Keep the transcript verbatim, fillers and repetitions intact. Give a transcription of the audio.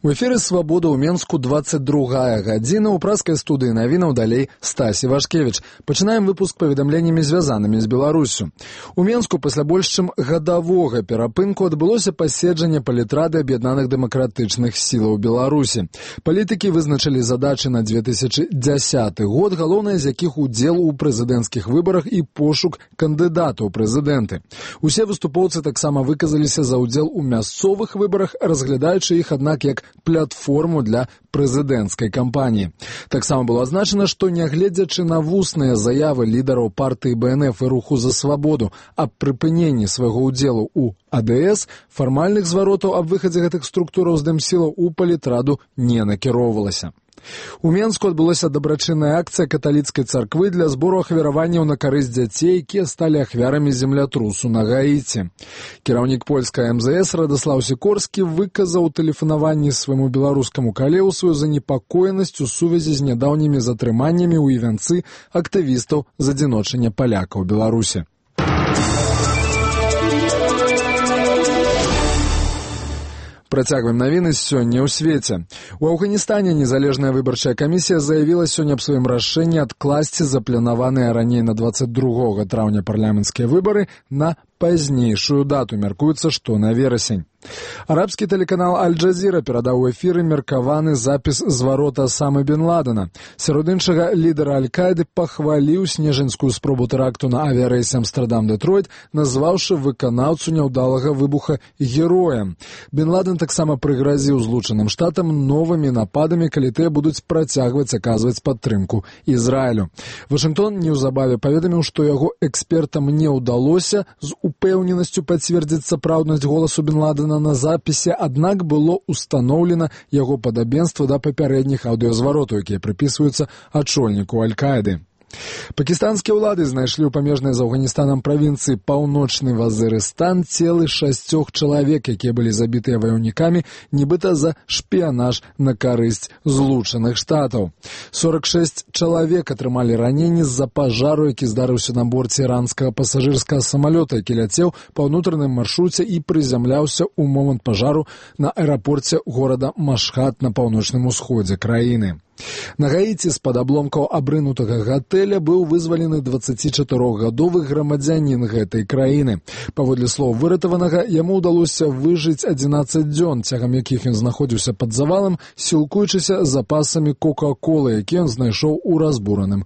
У эфіры «Свабода» ў Менску двадцать другая гадзіна. У праскай студыі навінаў далей Стасі Вашкевіч. Пачынаем выпуск паведамленнямі, звязанымі з Беларуссю. У Менску пасля больш чым гадавога перапынку адбылося паседжанне палітрады аб'яднаных дэмакратычных сілаў Беларусі. Палітыкі вызначылі задачы на две тысячи дзясяты год, галоўнае з якіх удзел у прэзідэнцкіх выбарах і пошук кандыдатаў у прэзідэнты. Усе выступоўцы таксама выказаліся за ўдзел у мясцовых выбарах, разглядаючы іх, аднак, як платформу для прэзідэнцкай кампаніі. Таксама было азначана, што нягледзячы на вусныя заявы лідараў партыі бэ эн эф і руху за свабоду аб прыпыненні свайго ўдзелу ў а дэ эс, фармальных зваротаў аб выхадзе гэтых структураў з дэмсілаў у палітраду не накіроўвалася. У Менску адбылася дабрачынная акцыя каталіцкай царквы для збору ахвяраванняў на карысць дзяцей, якія сталі ахвярамі землятрусу на Гаіці. Кіраўнік польскай эм зэ эс Радаслаў Сікорскі выказаў у тэлефанаванні свайму беларускаму калегу сваю занепакоенасць у сувязі з нядаўнімі затрыманнямі ў івянцы актывістаў з адзіночання палякаў у Беларусі. Працягваем навіны сёння ў свеце. У Афганістане незалежная выбарчая камісія заявіла сёння аб сваім рашэнні адкласці запланаваныя раней на двадцать другога траўня парламенцкія выбары на пазнейшую дату. Мяркуецца, што на верасень. Арабскі тэлеканал Аль-Джазіра перадаў у эфіры меркаваны запіс зварота Асамы бен Ладена. Сярод іншага, лідар Аль-Каіды пахваліў снежаньскую спробу тэракту на авіярэйсе Амстэрдам-Дэтройт, назваўшы выканаўцу няўдалага выбуха героем. Бен Ладен таксама прыгразіў Злучаным Штатам новымі нападамі, калі тыя будуць працягваць аказваць падтрымку Ізраілю. Вашынгтон неўзабаве паведаміў, што яго экспертам не ўдалося з упэўненасцю пацвердзіць сапраўднасць голасу Бен Ладена на запісе, аднак было устаноўлена яго падабенства да папярэдніх аўдыёзваротаў, якія прыпісваюцца ачольніку Аль-Каіды. Пакістанскія ўлады знайшлі ў памежнай з Афганістанам правінцыі Паўночны Вазырыстан целы шасцёх чалавек, якія былі забітыя ваяўнікамі, нібыта за шпіянаж на карысць Злучаных Штатаў. сорок шэсць чалавек атрымалі раненні з-за пажару, які здарыўся на борце іранскага пасажырскага самалёта, які ляцеў па ўнутраным маршруце і прызямляўся ў момант пажару на аэрапорце горада Машхад на паўночным усходзе краіны. На Гаіці з-пад абломкаў абрынутага гатэля быў вызвалены дваццацічатырохгадовы грамадзянін гэтай краіны. Паводле слоў выратаванага, яму ўдалося выжыць адзінаццаць дзён, цягам якіх ён знаходзіўся пад завалам, сілкуючыся запасамі кока-колы, які ён знайшоў у разбураным